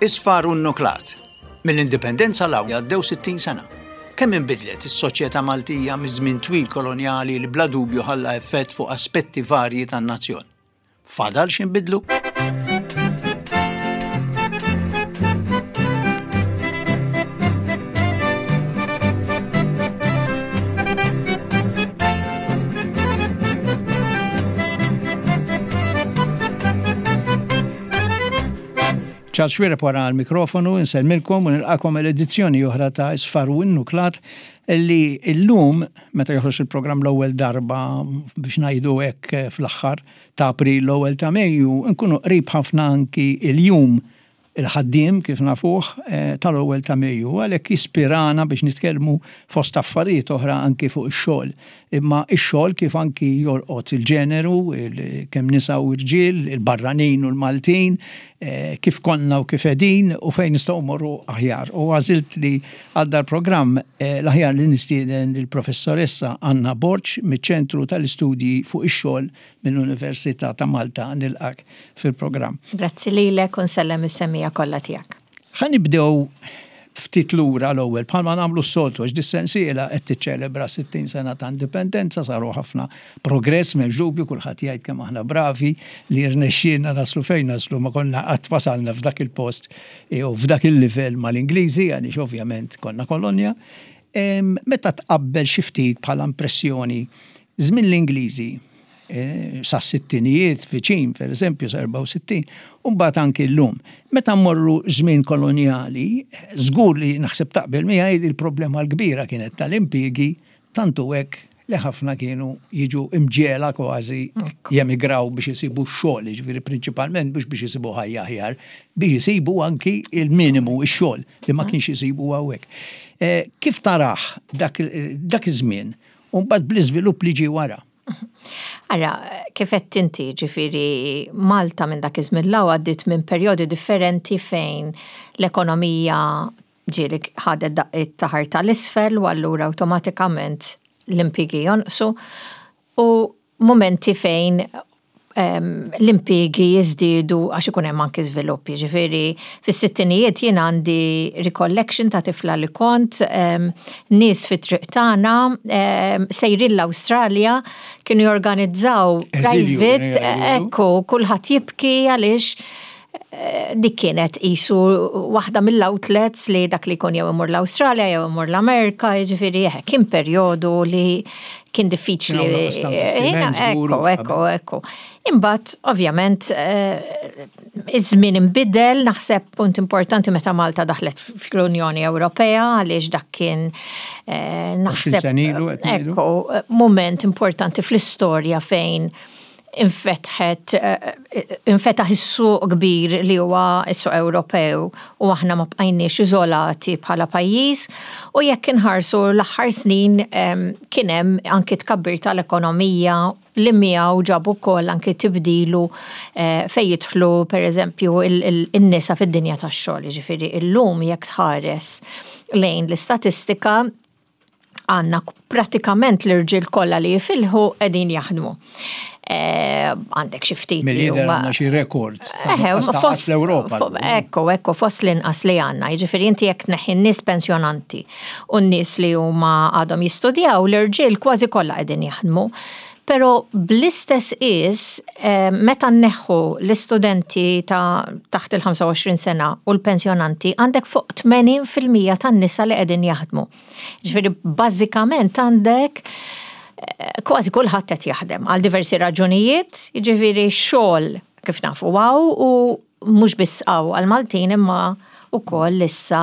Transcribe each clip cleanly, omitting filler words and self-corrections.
Isfar u nnuklat. Mill-Indipendenza 'l hawn għaddew 60 sena. Kemm inbidlet is-soċjetà Maltija miż-żmien twil kolonjali li bla dubju ħalla effett fuq aspetti varji tan-nazzjon. Fadal x'inbidlu? Charles Xuereb wara l-mikrofonu, insellmilkom u nilqakom għal edizzjoni oħra ta' Isfar u Innuklat li llum, meta joħroġ il-programm l-ewwel darba biex ngħidu hekk fl-aħħar ta' April l-ewwel ta' Mejju, nkunu qrib ħafna anki il-jum il-ħaddiem kif nafuh tal-ewwel ta' Mejju. Għalhekk jispirana biex nitkellmu fost affarijiet oħra anki fuq ix-xogħol. Imma x-xogħol kif anki jolqot il-ġeneru, kemm nisa u rġiel, il-barranin u l-Maltin, kif konna u kif qegħdin u fejn nistgħu mmorru aħjar. U għażilt li għal dal-programm l-aħjar li nistieden lill-Professoressa Anna Borg miċ-Ċentru tal-Istudji fuq ix-Xogħol mill-Università ta' Malta. Nilqgħek fil-programm. Grazzi lilek u nsellem is-semmiegħa kollha tiegħek. Ħa nibdew ftit lura l-ewwel, bħalma nagħmlu s-soltu, għax dis-sensiela qed tiċċelebra 60 sena ta' indipendenza, saru ħafna progress, m'hemmx dubju, kulħadd jgħid kemm aħna bravi li rnexxielna naslu fejn naslu, ma konna qatt wasalna f'dak il-post jew f'dak il-livell mal-Ingliżi, għaliex ovvjament konna kolonja. Meta tqabbel xi ftit bħala impressjoni żmien l-Ingliżi, sas-sittinijiet viċin, per eżempju, sa 64, u mbagħad anki llum. Meta mmorru żmien kolonjali, żgur li naħseb taqbel miegħi li l-problema l-kbira kienet tal-impjiegi, tant hu hekk li ħafna kienu jiġu imġiegħla kważi jemigraw biex isibu x-xogħol, jiġifieri prinċipalment mhux biex isibu ħajja aħjar, biex isibu anki il-minimu, ix-xogħol li ma kienx isibu hawnhekk. Kif tarah dak iż-żmien u mbagħad bl-iżvilupp li ġie wara? Ara, kif qed inti, ġifieri Malta minn dak iż-żmien 'l hawn għaddiet minn perjodi differenti fejn l-ekonomija ġieli ħadet daqqiet ta' ħarta 'l isfel u allura awtomatikament l-impjiegi jonqsu u mumenti fejn l-impiegi jiżdiedu għax ikun hemm anki żvilupp. Jiġifieri fis-sittinijiet jien għandi recollection ta' tifla li kont nies fit-triq tagħna sejrin l-Awstralja kienu jorganizzaw private ekku kulħadd jibki għaliex dik kienet qisu waħda mill-outlets li dak li jkun jew imur l-Awstralja jew imur l-Amerika, jiġifieri eħe, kien perjodu li kien diffiċli. Ekku, ekku, ekku. Imbagħad, ovvjament, eh, iż-żmien inbidel, naħseb punt importanti meta Malta daħlet fl-Unjoni Ewropea għaliex dak kien eh, naħseb. Ekku, moment importanti fl-istorja fejn infetħet infetaħ is-suq kbir li huwa s-suq Ewropew u aħna ma bqajniex iżolati bħala pajjiż u jekk inħarsu l-aħħar snin kien hemm anki tkabbir tal-ekonomija li miegħu ġab ukoll anki tibdilu fejn jidħlu pereżempju in-nisa fid-dinja tax-xogħol. Jiġifieri illum jekk tħares lejn l-istatistika għandna pratikament l-irġiel kollha li jifilħu qegħdin jaħdmu. Eh, għandek xi ftit. Mill-lider għandna xi rekord. Eh, fost l-Ewropa. Ekku, ekku, fost l-inqas li għandna. Jiġifieri inti jekk tneħħi n-nies pensjonanti u n-nies li huma għadhom jistudjaw, l-irġiel kważi kollha qegħdin jaħdmu. Pero bl-istess qies, eh, meta nneħħu l-istudenti ta' taħt il-25 sena u l-pensjonanti, għandek fuq 80% tan-nisa li qegħdin jaħdmu. Ġifieri bażikament għandek eh, kważi kulħadd qed jaħdem għal diversi raġunijiet, jiġifieri xogħol kif nafu għaw u mhux biss hawn għall-Maltin imma wkoll issa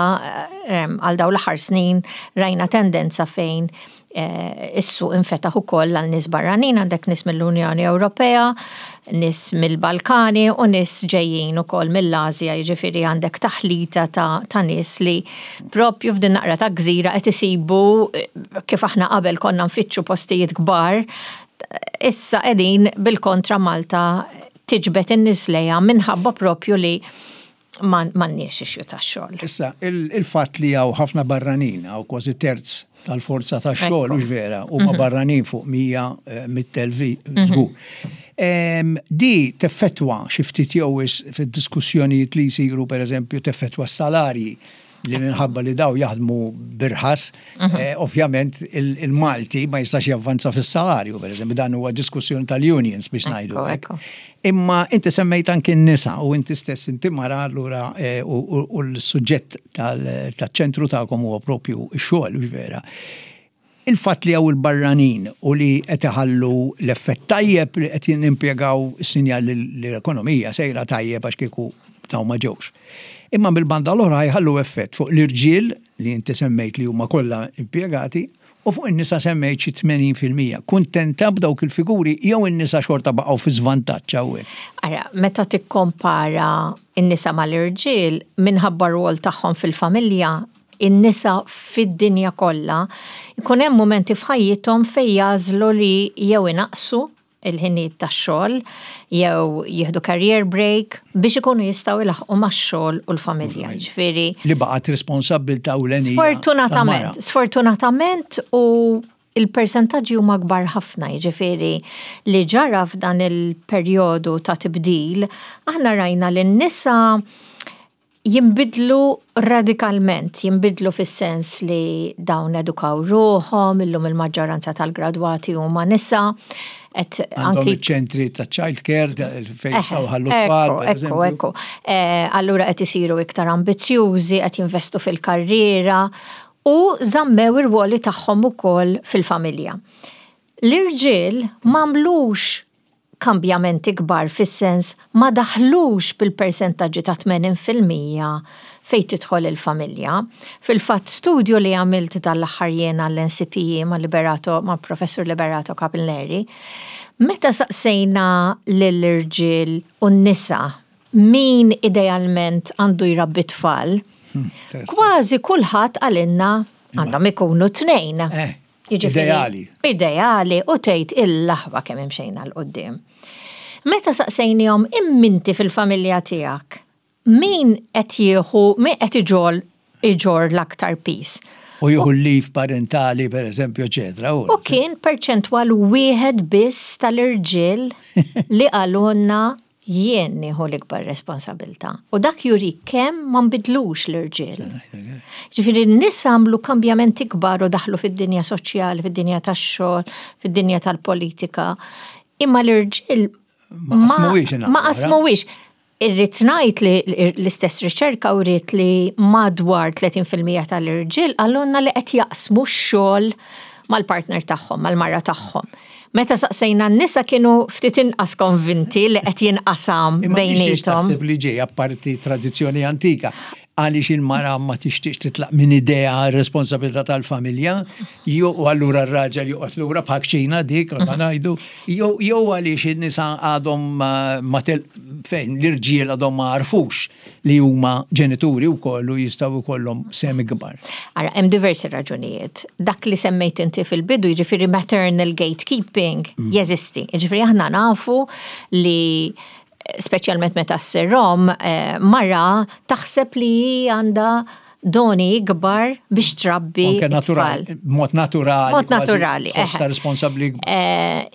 għal dawn l-aħħar snin rajna tendenza fejn eh, is-suq infetaħ ukoll għal nies barranin, għandek nies mill-Unjoni Ewropea, nies mill-Balkani u nies ġejjin ukoll mill-Asja, jiġifieri għandek taħlita ta', ta nies li propju f'din naqra ta' gżira qed isibu eh, kif aħna qabel konna nfittxu postijiet kbar, issa qegħdin bil-kontra Malta tiġbed in-nies lejha minħabba propju li M'għandniex issue tax-xogħol. Issa, il-fatt li hawn ħafna barranin, hawn kważi terz tal-forza tax-xogħol, hux vera, huma barranin fuq 100,000 żgur. Di teffettwa xi ftit jew wisq fid-diskussjonijiet li jsiru, pereżempju, teffettwa s-salarji li minħabba li daw jaħdmu b'irħas, ovvjament il-Malti ma jistax javvanza fis-salarju, pereżempju, dan huwa diskussjoni tal-unions biex ngħidu hekk. Imma inti semmejt anki n-nisa u inti stess inti mara allura u l-suġġett tal-ċentru tagħkom huwa propju x-xogħol, hux vera. Il-fatt li hawn il-barranin u li qed iħallu l-effett tajjeb li qed nimpjegaw sinjal li l-ekonomija sejra tajjeb għax kieku dawn ma ġewx. Imma mill-banda l-oħra jħallu effett fuq l-irġiel li inti semmejt li huma kollha impjegati u fuq in-nisa semmejt xi 80%. Kuntenta b'dawk il-figuri jew in-nisa xorta baqgħu fi żvantaġġ hawnhekk? Ara, meta tikkompara n-nisa mal-irġiel minħabba r-rwol tagħhom fil-familja, in-nisa fid-dinja kollha, jkun hemm mumenti f'ħajjithom fejn jagħżlu li jew inaqqsu il-ħinijiet tax-xogħol jew jieħdu career break biex ikunu jistgħu jlaħħqu max-xogħol u l-familja. Jiġifieri. Li baqgħet responsabbiltà ewlenija. Sfortunatament, sfortunatament u il-persentaġġi huma kbar ħafna, jiġifieri li ġara f'dan il-perjodu ta' tibdil, aħna rajna li n-nisa jinbidlu radikalment, jinbidlu fis-sens li dawn edukaw ruħhom, illum il-maġġoranza tal-gradwati huma nisa, qed anki ċentri ta' child care fejn jistgħu ħallu tfal. Ekku, ekku. Allura qed isiru iktar ambizzjużi, qed jinvestu fil-karriera u żammew ir-rwoli tagħhom ukoll fil-familja. L-irġiel m'għamlux kambjamenti kbar fis-sens ma daħlux bil-persentaġġi ta' 80% fejn tidħol il-familja. Fil-fatt studju li għamilt dan l-aħħar jien għall-NCPE ma' Liberato, ma' Professur Liberato Capilleri, meta saqsejna lill-irġiel u n-nisa min idealment għandu jrabbi t-tfal, kważi kulħadd qalilna għandhom ikunu tnejn. Ideali. Ideali u tgħid il-laħwa kemm imxejna 'l quddiem. Meta saqsejnihom imminti fil-familja tiegħek, min qed jieħu, min qed iġol iġorr l-aktar piż? U jieħu l-leave parentali, per eżempju, eċetera. U kien perċentwal wieħed biss tal-irġiel li qalulna Jien nieħu l-ikbar responsabilità. U dak jurik kemm ma nbidlux l-irġiel. Ġifieri n-nisa għamlu kambjamenti kbar u daħlu fid-dinja soċjali, fid-dinja tax-xogħol, fid-dinja tal-politika. Imma l-irġiel ma qasmuhiex. Irrid ngħid li l-istess riċerka wriet li madwar 30% tal-irġiel qalulna li qed jaqsmu x-xogħol mal-partner tagħhom, mal-mara tagħhom. Meta saqsejna n-nisa kienu ftit inqas konvinti li qed jinqasam bejniethom. Imma li ġej apparti tradizzjoni antika għaliex il-mara ma tixtieqx titlaq minn idea r-responsabilità tal-familja, jew allura r-raġel joqgħod lura bħal kċina dik ma ngħidu, jew għaliex in-nisa għadhom ma fejn l-irġiel għadhom ma għarfux li huma ġenituri wkoll u jistgħu jkollhom sehem ikbar. Ara, hemm diversi raġunijiet. Dak li semmejt inti fil-bidu, jiġifieri maternal gatekeeping, jeżisti. Jiġifieri aħna nafu li speċjalment meta ssir omm, mara taħseb li hi għandha doni ikbar biex trabbi t-tfal. Mod naturali. Mod naturali. Tħossha responsabbli.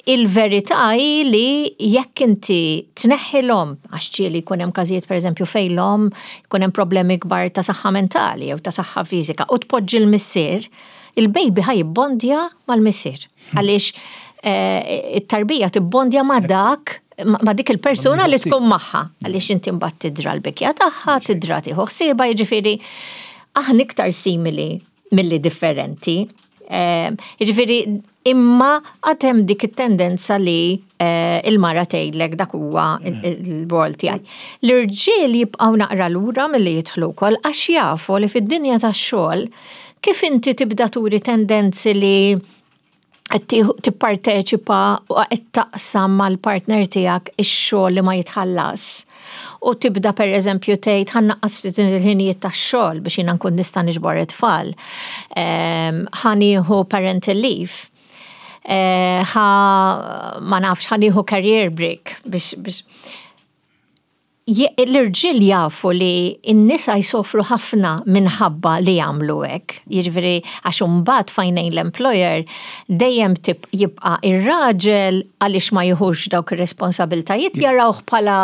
Il-verità hi li jekk inti tneħħi l-omm, għax ġieli jkun hemm każijiet pereżempju fejn l-omm jkun hemm problemi kbar ta' saħħa mentali jew ta' saħħa fiżika u tpoġġi l-missier, il-baby ħa jibbondja mal-missier. Għaliex it-tarbija tibbondja ma' dak ma' dik il-persuna li tkun magħha. Għaliex inti mbagħad tidra l-bikja tagħha, tidra tieħu ħsiebha, jiġifieri aħna iktar simili milli differenti. Jiġifieri imma għad hemm dik it-tendenza li il-mara tgħidlek dak huwa l-rol tiegħi. L-irġiel jibqgħu naqra lura milli jidħlu wkoll għax jafu li fid-dinja tax-xogħol kif inti tibda turi tendenzi li qed tipparteċipa u qed taqsam mal-partner tiegħek ix-xogħol li ma jitħallas. U tibda pereżempju tgħid ħa nnaqqas ftit il-ħinijiet tax-xogħol biex jiena nkun nista' niġbor it-tfal. Ħa nieħu parental leave. Ħa ma nafx ħa nieħu career break biex biex. L-irġiel jafu li n-nisa jsofru ħafna minħabba li jagħmlu hekk. Jiġifieri għax imbagħad f'għajnejn l-employer dejjem jibqa' ir-raġel għaliex ma jiħux dawk ir-responsabiltajiet jarawh bħala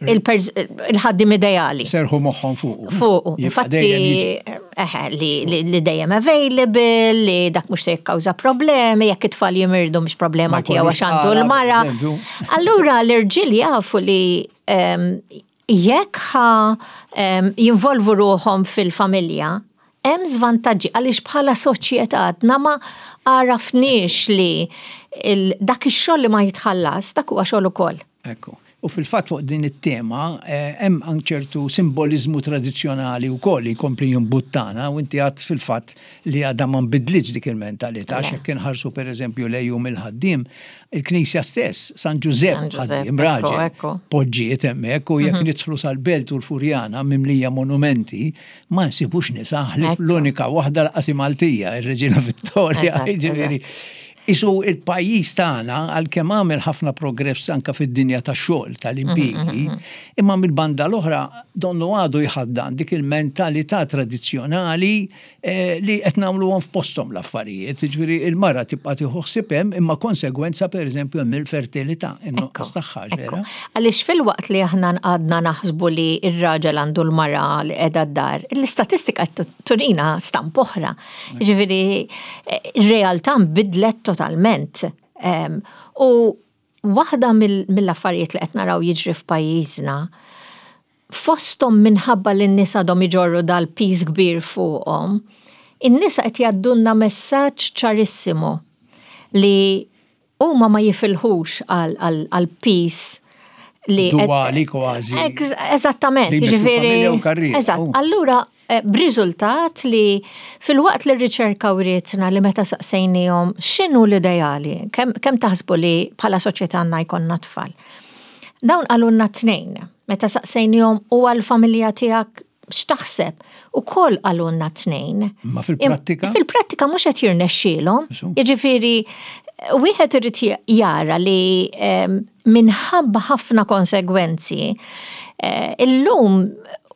il-ħaddiem ideali. Serħu moħħhom fuqu. Fuqu. Infatti, eħe, li dejjem available, li dak mhux se jikkawża problemi, jekk it-tfal jimirdu mhux problema tiegħu għax għandu l-mara. Allura l-irġiel jafu li jekk ħa jinvolvu ruħhom fil-familja, hemm żvantaġġi għaliex bħala soċjetà għadna ma għarafniex li dak ix-xogħol li ma jitħallas dak huwa xogħol ukoll. Ekku. U fil-fatt fuq din it-tema eh, hemm anke ċertu simboliżmu tradizzjonali wkoll li jkompli jimbuttana u inti għad fil-fatt li għadha ma nbidlitx dik il-mentalità għax jekk inħarsu pereżempju lejn jum il-ħaddiem, il-Knisja stess, San Ġużepp ħaddiem raġel, poġġiet hemmhekk u jekk mhm. nidħlu sal-Belt u l-Furjana mimlija monumenti, ma nsibux nisa ħlief l-unika waħda l-qasi Maltija, ir-Reġina Vittoria, jiġifieri. Isu il-pajjiż tagħna għalkemm għamel ħafna progress anka fid-dinja tax-xogħol tal-impjiegi, mhm, mhm, mhm. imma mill-banda l-oħra donnu għadu jħaddan dik il-mentalità tradizzjonali Eh, li qed nagħmluhom f'posthom l-affarijiet, jiġifieri il-mara tibqa' tieħu ħsieb hemm imma konsegwenza pereżempju hemm il-fertilità, in-nuqqas tagħha vera. Għaliex filwaqt li aħna għadna naħsbu li r-raġel għandu l-mara li qiegħda d-dar, l-istatistika qed turina stamp oħra. Jiġifieri eh, ir-realtà nbidlet totalment. Ehm, u Waħda mill-affarijiet li qed naraw jiġri f'pajjiżna, fosthom minħabba li n-nies għadhom iġorru dal-piż kbir fuqhom, in-nisa qed jgħaddulna messaġġ ċarissimu li huma ma jifilħux għall-piż li. Duali kważi. Eżattament, jiġifieri. Eżatt. Allura Eh, b'riżultat li filwaqt li r-riċerka wrietna li meta saqsejnihom x'inhu l-ideali, kemm taħsbu li bħala soċjetà għandna jkollna tfal. Dawn qalulna tnejn. Meta saqsejnihom u għall-familja tiegħek x'taħseb, ukoll qalulna tnejn. Ma fil-prattika? Fil-prattika mhux qed jirnexxielhom. Jiġifieri wieħed irid jara li ehm, minħabba ħafna konsegwenzi, eh, illum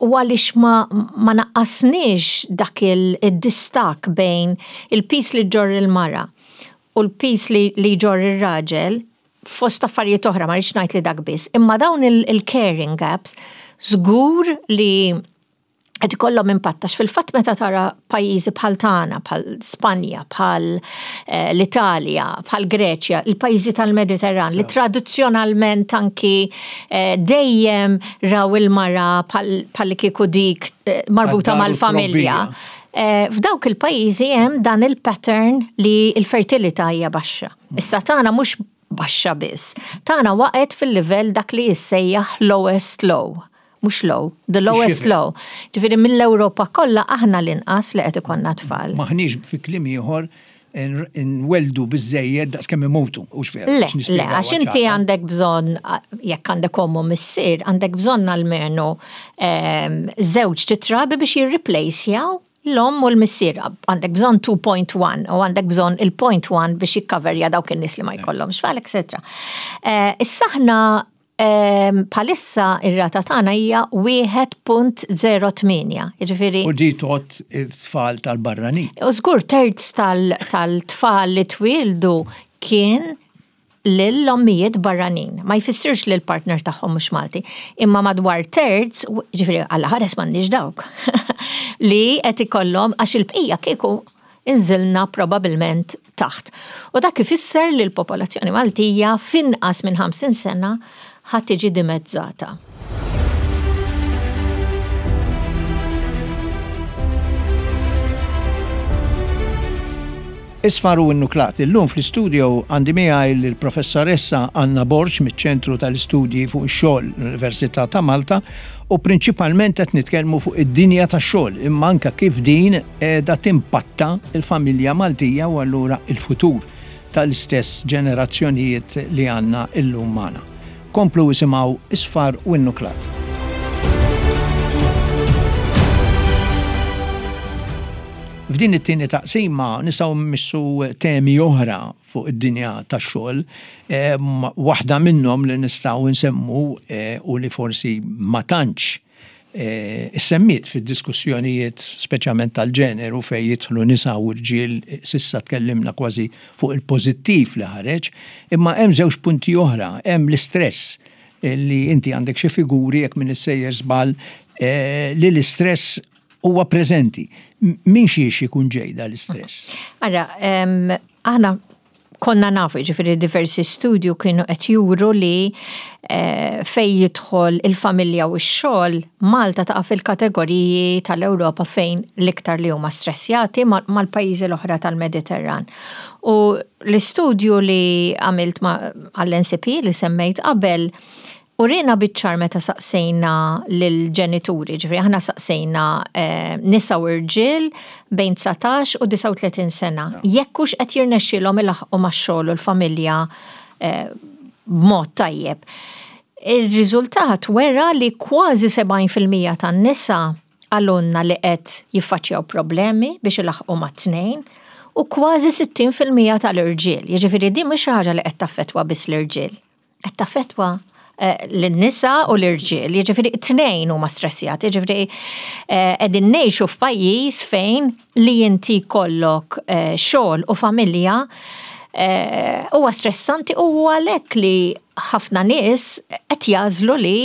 u għaliex ma, ma naqqasniex dak il-distak bejn il-pis li ġorr il-mara u l-pis li, li jġorr ir-raġel, fost affarijiet oħra ma rridx ngħid li dak biss, imma dawn il-caring gaps żgur li qed ikollhom impatt għax fil-fatt meta tara pajjiżi bħal tagħna, bħal Spanja, bħal eh, l-Italja, bħal Greċja, il-pajjiżi tal-Mediterran li tradizzjonalment anki eh, dejjem raw il-mara bħal kieku dik eh, marbuta mal-familja. F'dawk il-pajjiżi hemm dan il-pattern li l-fertilità hija baxxa. Mm. Issa tagħna mhux baxxa biss. Tagħna waqgħet fil-livell dak li jissejjaħ lowest low. Mhux low, the lowest low. Ġifieri mill-Ewropa kollha aħna l-inqas li qed ikollna tfal. Maħniex fi kliem ieħor nwelldu biżżejjed daqs kemm imutu, hux vera? Le, le, għax inti għandek bżonn, jekk għandek omm u missier, għandek bżonn almenu ehm, żewġ titrabi biex jirriplejsjaw l-omm u l-missier. Għandek bżonn 2.1 u għandek bżonn il-0.1 biex jikkaverja dawk in-nies li ma jkollhomx tfal, etc. Eh, issa aħna ehm, bħalissa ir-rata tagħna hija 1.08, jiġifieri. U di tot it-tfal tal-barranin. U żgur terz tal-tfal li twildu kien lil ommijiet barranin. Ma jfissirx li l-partner tagħhom mhux Malti, imma madwar terz, ġifieri Alla ħares m'għandniex dawk, li qed ikollhom għax il-bqija kieku inżilna probabilment taħt. U dak ifisser li l-popolazzjoni Maltija f'inqas minn 50 sena ħa tiġi dimezzata. Isfar u Innuklat. Illum fl-istudio għandi miegħi lill-Professoressa Anna Borg miċ-Ċentru tal-Istudji fuq ix-Xogħol l-Università ta' Malta u prinċipalment qed nitkellmu fuq id-dinja tax-xogħol imma anke kif din qiegħda timpatta l-familja Maltija u allura il-futur tal-istess ġenerazzjonijiet li għandna illum magħna. Komplu isimgħu Isfar u Innuklat. F'din it-tieni taqsima nistgħu mmissu temi oħra fuq id-dinja tax-xogħol. Waħda minnhom li nistgħu nsemmu eh, u li forsi ma tantx eh, issemmiet fid-diskussjonijiet speċjalment tal-ġeneru fejn jidħlu nisa u rġiel s'issa tkellimna kważi fuq il-pożittiv li ħareġ, imma hemm żewġ punti oħra, hemm l-istress li inti għandek xi figuri jekk minn issejjer żball eh, li l-istress huwa preżenti. Min xiex ikun ġej l-istress? Ara, aħna konna nafu, ġifiri diversi studju kienu qed juru li eh, fej jidħol il-familja u x-xogħol, Malta taqa' fil-kategoriji tal-Ewropa fejn l-iktar li huma stressjati mal-pajjiżi l-oħra tal-Mediterran. U l-istudju li għamilt għall-NCP li semmejt qabel Urina biċ-ċar meta saqsejna lill-ġenituri, ġifieri aħna saqsejna eh, nisa u rġiel bejn 19 u 39 sena, jekk hux qed jirnexxielhom ilaħħqu max-xogħol u l-familja eh, b'mod tajjeb. Ir-riżultat wera li kważi 70% tan-nisa qalulna li qed jiffaċċjaw problemi biex ilaħħqu mat-tnejn u kważi 60% tal-irġiel. Jiġifieri din mhix xi ħaġa li qed taffettwa biss l-irġiel. Qed taffettwa eh, lin-nisa u l-irġiel, jiġifieri t-tnejn huma stressjati, jiġifieri eh, qegħdin ngħixu f'pajjiż fejn li inti jkollok eh, xogħol u familja huwa stressanti u għalhekk li ħafna nies qed jagħżlu li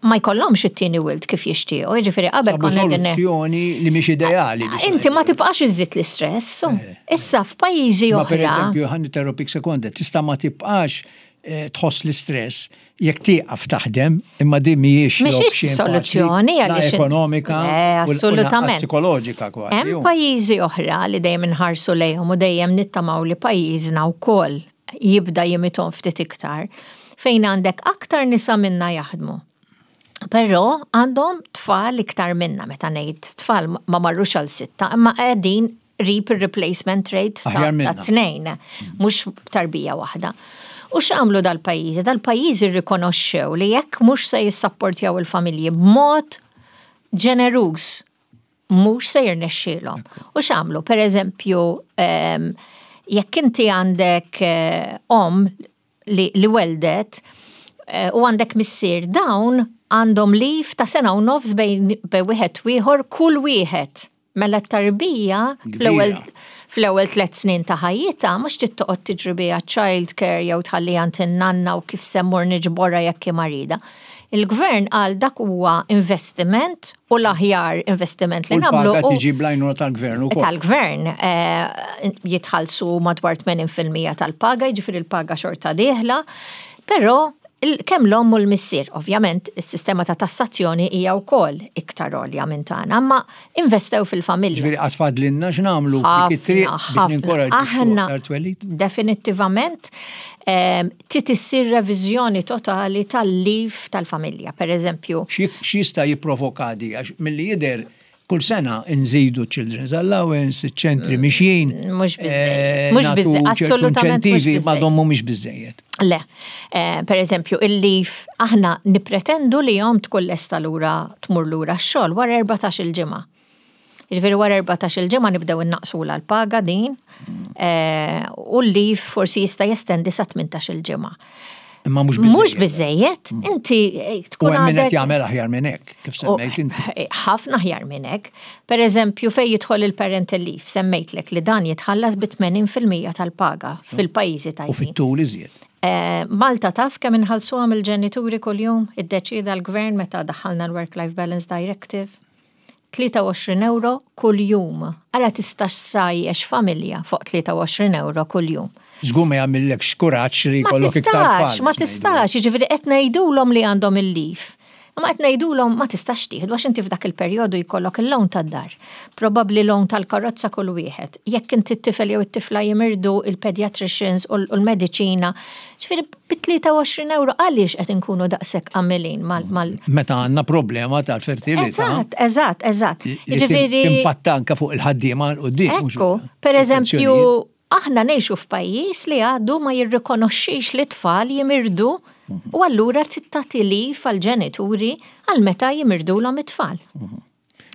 ma jkollhomx it-tieni wild kif jixtiequ, jiġifieri qabel konna qegħdin soluzzjoni li mhix ideali. Inti ma tibqax iżżid l-istress. Eh. Issa f'pajjiżi oħra. Per eżempju, ħan interrompik sekonda, tista' ma tibqax eh, tħoss l-istress jekk tieqaf taħdem, imma din mhijiex mhix soluzzjoni għaliex ekonomika, eh, assolutament psikoloġika kważi. Hemm pajjiżi oħra li dejjem inħarsu lejhom u dejjem nittamaw li pajjiżna wkoll jibda jimithom ftit iktar, fejn għandek aktar nisa minna jaħdmu. Però għandhom tfal iktar minna, meta ngħid tfal ma marrux għal sitta, imma qegħdin qrib ir-replacement rate ta' tnejn, mhux tarbija waħda. U x'għamlu dal-pajjiżi? Dal-pajjiżi rrikonoxxew li jekk mhux se jissapportjaw il-familji b'mod ġeneruż mhux se jirnexxielhom. U x'għamlu? Per eżempju, ehm, jekk inti għandek eh, om li, li weldet eh, u għandek missier dawn għandhom lif ta' sena u nofs bejn wieħed u ieħor kull wieħed. Mela t-tarbija fl-ewwel tliet snin ta' ħajjitha mhux trid toqgħod tiġri biha child care jew tħalli għand in-nanna u kif se mmur niġborha jekk hi marida. Il-gvern qal dak huwa investiment u l-aħjar investiment li nagħmlu. U tiġi blajnuna tal-gvern ukoll. Tal-gvern eh, jitħallsu madwar 80% tal-paga, jiġifieri l-paga xorta dieħla, però kemm l-omm u l-missier, ovvjament, is-sistema ta' tassazzjoni hija wkoll iktar għolja minn tagħna, imma investew fil-familja. Ġifieri qatt fadlilna x'nagħmlu f'dik it-triq biex ninkoraġġixxu aktar twelid? Definittivament ehm, trid issir reviżjoni totali tal-leave tal-familja, per eżempju. X'jista' jipprovoka di? Għax milli jidher kull sena nżidu children's allowance, ċentri mm, mixjin. Mhux biżejjed. Eh, mhux biżejjed, assolutament. Ma dom mhumiex biżejjed. Le, eh, per eżempju, il-lif aħna nipretendu li jom tkun lesta lura tmur lura x-xogħol wara 14 il-ġimgħa. Jiġifieri wara 14 il-ġimgħa nibdew innaqsula l-paga din eh, u l-lif forsi jista' jestendi sa 18 il-ġimgħa. Imma mhux biżejjed. Mhux biżejjed, mm. inti eh, tkun għadek. qed jagħmel aħjar minn hekk, kif semmejt inti. Eh, ħafna aħjar minn hekk. Per eżempju, fejn jidħol il-parental leave, semmejtlek li dan jitħallas bi 80% tal-paga fil-pajjiżi tajbin. U fit-tul iżjed. Malta taf kemm inħallsuha mill-ġenituri kuljum, iddeċieda l-gvern meta daħħalna l-Work Life Balance Directive. 23 ewro kuljum. Ara tistax tgħajjex familja fuq 23 ewro kuljum. Żgur ma jagħmillekx kuraġġ li jkollok iktar tfal. Ma tistax, jiġifieri qed ngħidulhom li għandhom il-leave. Imma qed ngħidulhom ma tistax tieħdu għax inti f'dak il-perjodu jkollok il-loan tad-dar. Probabbli loan tal-karozza kull wieħed. Jekk inti t-tifel jew it-tifla jimirdu il-pediatricians u l-mediċina. Ġifieri bi 23 ewro għaliex qed inkunu daqshekk għamilin mal. Meta għandna problema tal-fertilità. Eżatt, eżatt, eżatt. Jiġifieri. Timpatta anke fuq il-ħaddiema 'l quddiem. Ekku, per eżempju, aħna ngħixu f'pajjiż li għadu ma jirrikonoxxix li t-tfal jimirdu u allura trid tagħti leave għall-ġenituri għal meta jimirdulhom it-tfal.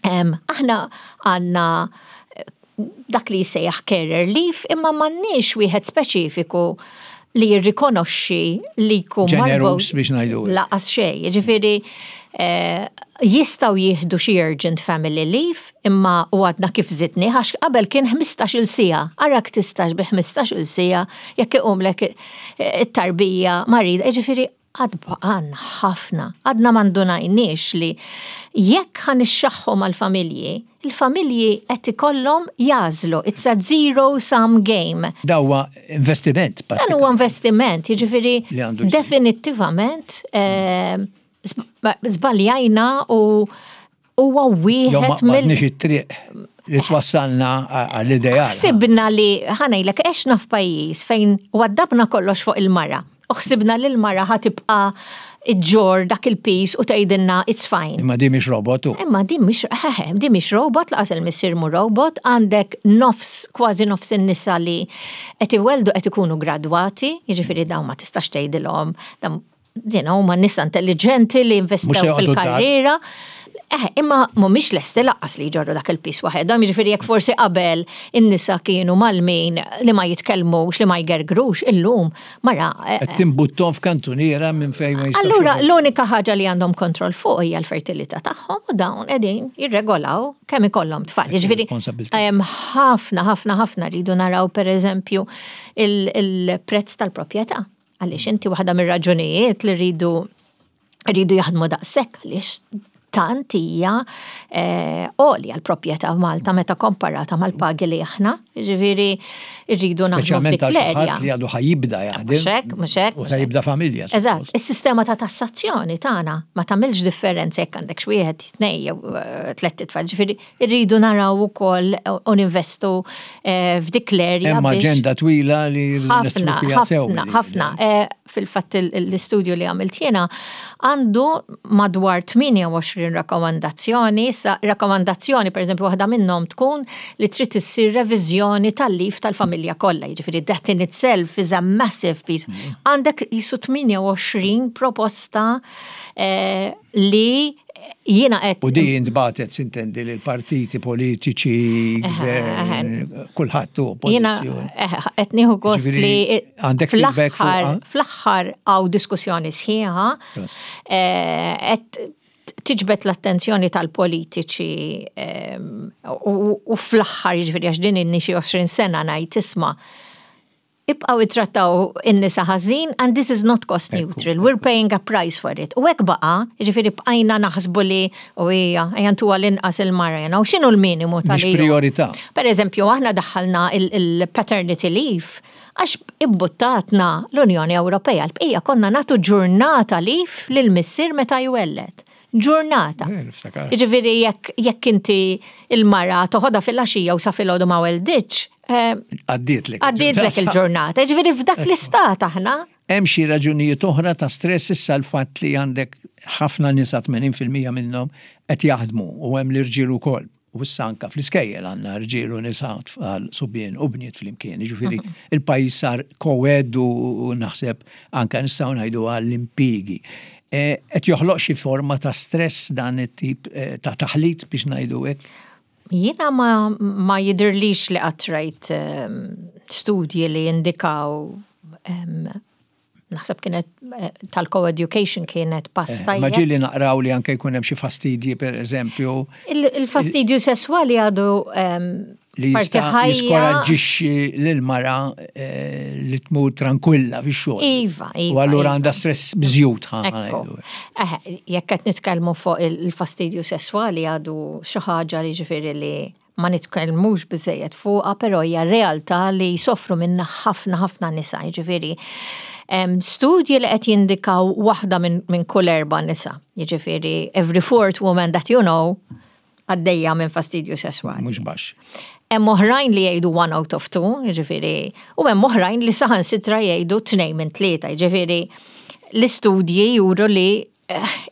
Aħna għandna dak li jissejjaħ carer leave imma m'għandniex wieħed speċifiku li jirrikonoxxi li jkun marbut. biex ngħidu. Laqas xejn, jiġifieri eh, jistgħu jieħdu xi urgent family leave imma u għadna kif żidni għax qabel kien 15-il siegħa. Arak tistax bi 15-il siegħa jekk iqumlek eh, it-tarbija marida, jiġifieri Għad baqgħalna ħafna, għadna ma ndunajniex li jekk ħa nixxaħħu mal-familji, il-familji qed ikollhom jagħżlu, it's a zero sum game. Da huwa investiment. Dan huwa investiment, jiġifieri definittivament żbaljajna u huwa wieħed mill. Jew it-triq li twassalna għall-ideal. Ħsibna li ħanejlek għexna f'pajjiż fejn waddabna kollox fuq il-mara. U ħsibna li l-mara ħa tibqa' ġġorr dak il-piż u tgħidilna it's fine. Imma di mhix robot u. Imma di mhix eħe, di mhix robot, laqas il-missier mhu robot, għandek nofs, kważi nofs in-nisa li qed iwelldu qed ikunu gradwati, jiġifieri dawn ma tistax tgħidilhom Dina huma nisa intelligenti li investew fil-karriera. Eh, imma mhumiex lesti laqqas li jġorru dak il-pis waħedhom, jiġifieri jekk forsi qabel in-nisa kienu malmin li ma jitkellmux, li ma jgergrux, illum mara. Eh, Qed timbuttom f'kantuniera minn fejn ma jistgħux. Allura l-unika ħaġa li għandhom kontroll fuq hija l-fertilità tagħhom u dawn qegħdin jirregolaw kemm ikollhom tfal. Jiġifieri hemm ħafna ħafna ħafna rridu naraw pereżempju il-prezz tal-proprjetà. Għaliex inti waħda mir-raġunijiet li rridu rridu jaħdmu daqshekk għaliex tant hija eh, għolja l-proprjetà f'Malta meta komparata mal-pagi li aħna, ġifieri rridu naħdmu f'dik l-erja. Li għadu ħajibda jaħdem. Mhux hekk, mhux hekk. U ħajibda familja. Eżatt, is-sistema ta' tassazzjoni tagħna ma tagħmilx differenza jekk għandek xi wieħed, tnej jew eh, tlett itfal, ġifieri Irridu naraw ukoll u ninvestu eh, f'dik l-erja. Hemm aġenda twila li ħafna, ħafna, ħafna. Eh, fil-fatt l-istudju li għamilt jiena għandu madwar 28 rakkomandazzjoni, sa rakkomandazzjoni pereżempju waħda minnhom tkun li trid issir reviżjoni tal-lif tal-familja kollha, jiġifieri that in itself is a massive piece. Mm. Għandek jisu 28 proposta eh, li jiena qed. U di intbatet sintendi lil partiti politiċi, gvern, kulħadd u Jiena qed nieħu gost li għandek feedback fl-aħħar hawn diskussjoni sħiħa qed tiġbed l-attenzjoni tal-politiċi u fl-aħħar jiġifieri għax din inni xi 20 sena ngħid isma' Ibqgħu ittrattaw in-nisa ħażin and this is not cost neutral, we're paying a price for it. U hekk baqa', jiġifieri bqajna naħsbu li u hija, ejja ntuha l-inqas il-mara, you know, x'inhu l-minimu tal Mhix prijorità. Per eżempju, aħna daħħalna il-paternity leave għax imbuttatna l-Unjoni Ewropea, l-bqija konna nagħtu ġurnata leave lill-missier meta jwelled. Ġurnata. Jiġifieri jekk jekk inti il-mara toħodha fil-għaxija u sa filgħodu ma welditx. Eh, għaddietlek. Għaddietlek il-ġurnata. Jiġifieri f'dak l-istat aħna. Hemm xi raġunijiet oħra ta' stress issa l-fatt li għandek ħafna nisa 80% minnhom qed jaħdmu u hemm l-irġiel ukoll. U issa anka fl-iskejjel għandna rġiel u nisa, tfal, subien u bniet flimkien. Jiġifieri mhm. il-pajjiż sar co-ed u naħseb anka nistgħu ngħidu għall-impjiegi. E, qed joħloq xi forma ta' stress dan it-tip e, ta' taħlit biex ngħidu hekk? Jiena ma, ma jidhirlix li qatt rajt ehm, studji li jindikaw ehm, Naħseb kienet eh, tal-co-education kienet pass eh, tajjeb. Ma ġieli naqraw li anke jkun hemm xi fastidji per eżempju. Il-fastidju sesswali għadu ehm, li jista' jiskoraġġixxi lil mara eh, li tmur tranquilla fix-xogħol. Iva, iva. U allura iva. għandha stress miżjud Jekk qed nitkellmu fuq il-fastidju sesswali għadu xi ħaġa li ġifieri li ma nitkellmux biżejjed fuqha, però hija realtà li jsofru minnha ħafna ħafna nisa, jiġifieri studji li qed jindikaw waħda minn min kull erba' nisa, jiġifieri every fourth woman that you know għaddejja minn fastidju sesswali. Mhux baxx. Hemm oħrajn li jgħidu one out of two, jiġifieri, u hemm oħrajn li saħansitra jgħidu tnejn minn tlieta, jiġifieri l-istudji juru li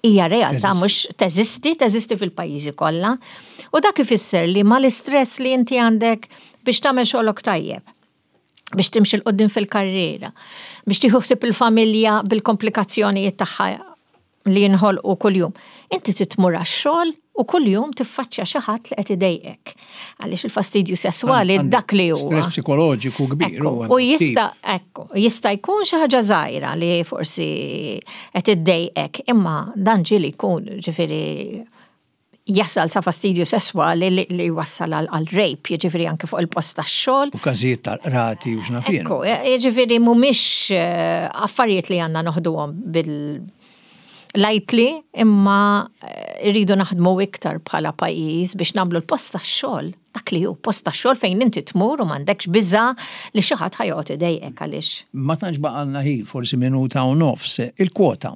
hija realtà mhux teżisti, teżisti fil-pajjiżi kollha. U dak ifisser li mal-istress li inti għandek biex tagħmel xogħlok tajjeb, biex timxi 'l quddiem fil-karriera, biex tieħu ħsieb il-familja bil-komplikazzjonijiet tagħha li jinħolqu kuljum. Inti trid tmur għax-xogħol. U kuljum tiffaċċja xi ħadd li qed idejqek. Għaliex il-fastidju sesswali dak li huwa. Stress psikoloġiku kbir. U jista' ekku, jista' jkun xi ħaġa żgħira li forsi qed iddejqek, imma dan ġieli jkun ġifieri jasal sa fastidju sesswali li jwassal għal rape, jiġifieri anke fuq il-post tax-xogħol. U każijiet tal-qrati u x'naf jien. Ekku, jiġifieri mhumiex eh, affarijiet li għandna noħduhom bil lightly imma eh, rridu naħdmu iktar bħala pajjiż biex nagħmlu l-post tax-xogħol dak li hu post tax-xogħol fejn inti tmur u m'għandekx biża' li xi ħadd ħa joqgħod idejqek għaliex. Ma tantx baqalna ħin, forsi minuta u nofs, il-kwota.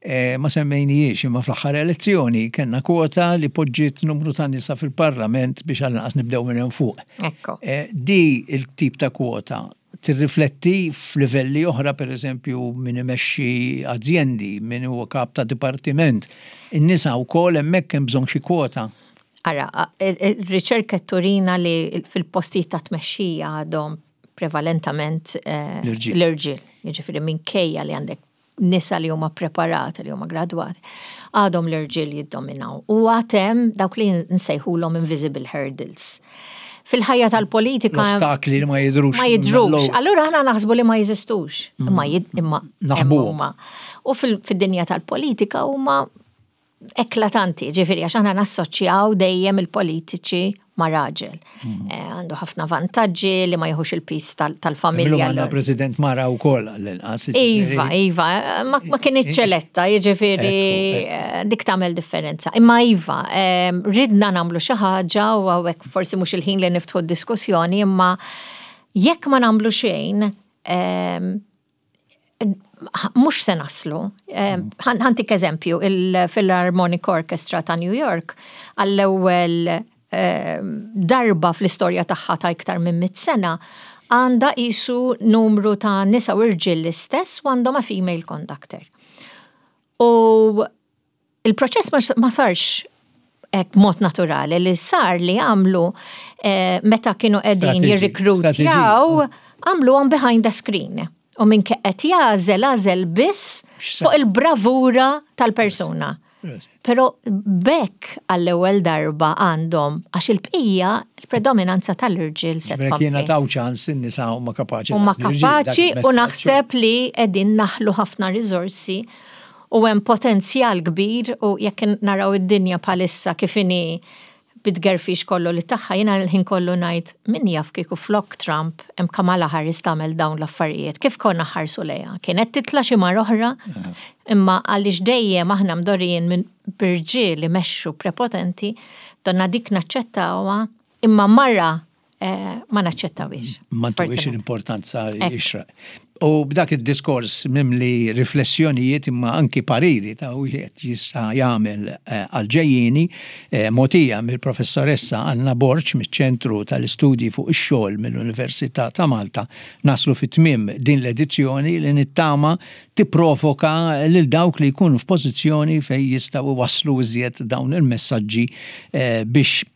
Eh, ma semmejnijiex imma fl-aħħar elezzjoni kellna kwota li poġġiet numru ta' nisa fil-parlament biex għal-naqas nibdew minn hemm fuq. Ekku. Eh, di il-tip ta' kwota tirrifletti f'livelli oħra, per eżempju, min imexxi azjendi, min huwa kap ta' dipartiment. In-nisa wkoll hemmhekk hemm bżonn xi kwota. Ara, ir-riċerka turina li fil-postijiet ta' tmexxija għadhom prevalentament eh, l-irġiel. Jiġifieri minkejja li għandek nisa li huma preparati, li huma gradwati, għadhom l-irġiel jiddominaw. U għatem dawk li nsejħulhom invisible hurdles. Fil-ħajja tal-politika. Ostakli li ma jidrux. Ma jidrux. Allura aħna naħsbu li ma jeżistux. Mm. Imma imma huma. U fil-dinja tal-politika huma eklatanti, ġifiri, għax aħna nassoċjaw dejjem il-politiċi ma' raġel. Mm. Eh, għandu ħafna vantaġġi li ma jħux il-pis tal-familja. Għandna president mara u koll għall-inqas. Iva, iva, ma kien ċeletta, jiġifieri eh, dik tagħmel differenza. Imma iva, eh, ridna nagħmlu xi ħaġa u hawnhekk forsi mhux il-ħin li niftħu d-diskussjoni, imma jekk ma nagħmlu xejn, mhux se naslu. Eh, ħantik eżempju, il-Philharmonic Orchestra ta' New York għall-ewwel eh, darba fl-istorja tagħha ta' iktar minn mit sena għandha qisu numru ta' nisa u irġiel l-istess u għandhom a female conductor. U Il-proċess ma sarx hekk mod naturali li sar li għamlu eh, meta kienu qegħdin jirrikrutjaw għamluhom behind the screen. U minn qed jagħżel għażel biss fuq il-bravura tal-persuna. Pero bekk għall-ewwel darba għandhom għax il-bqija il-predominanza tal-irġiel se tkompli. Jiena taw ċans in-nisa huma kapaċi. Huma kapaċi u naħseb li qegħdin naħlu ħafna riżorsi U hemm potenzjal kbir u jekk naraw id-dinja bħalissa kif inhi bit-tgerfix kollu li tagħha, jiena l-ħin kollu ngħid min jaf kieku flok Trump hemm Kamala Harris tagħmel dawn l-affarijiet, kif konna ħarsu lejha? Kienet titla' xi mara oħra? Imma għaliex dejjem aħna mdorrijin minn b'irġiel imexxu prepotenti, donna dik naċċettawha, imma mara Eh, ma naċċettawiex. Ma ntuwiex l-importanza jixra. U b'dak id-diskors mimli riflessjonijiet imma anki pariri ta' wieħed jista' jagħmel eh, għal-ġejjieni eh, mogħtija mill-professoressa Anna Borg miċ-Ċentru tal-Istudji fuq ix-Xogħol mill-Università ta' Malta naslu fit-tmiem din l-edizzjoni li nittama tipprovoka lil dawk li jkunu f'pożizzjoni fejn jistgħu iwasslu iżjed dawn il-messaġġi biex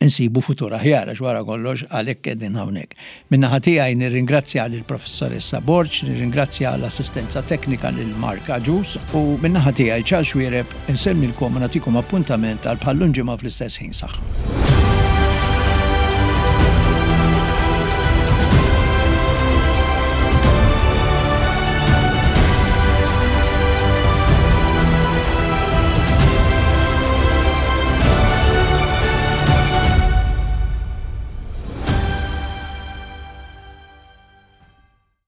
insibu futur aħjar għax wara kollox għalhekk qegħdin hawnhekk. Min-naħa tiegħi nirringrazzja lill-Professoressa Borg, nirringrazzja l-assistenza teknika lil Mark Agius u min-naħa tiegħi Charles Xuereb insellmilkom u nagħtikom appuntament għal bħal-lum ġimgħa fl-istess ħin. Saħħa.